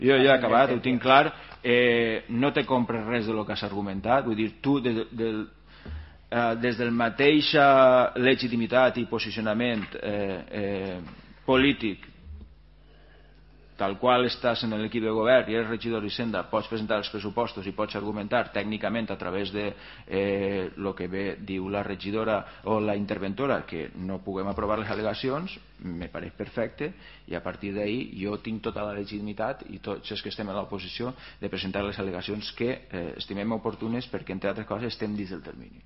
Jo ja he acabat, ho tinc clar. No te compres res del que has argumentat. Vull dir, tu des del mateixa legitimitat i posicionament polític tal qual estàs en l'equip de govern i eres regidor d'Hisenda, pots presentar els pressupostos i pots argumentar tècnicament a través de el que bé diu la regidora o la interventora que no puguem aprovar les al·legacions, me pareix perfecte, i a partir d'ahir jo tinc tota la legitimitat i tots els que estem a l'oposició de presentar les al·legacions que estimem oportunes perquè entre altres coses estem dins del termini.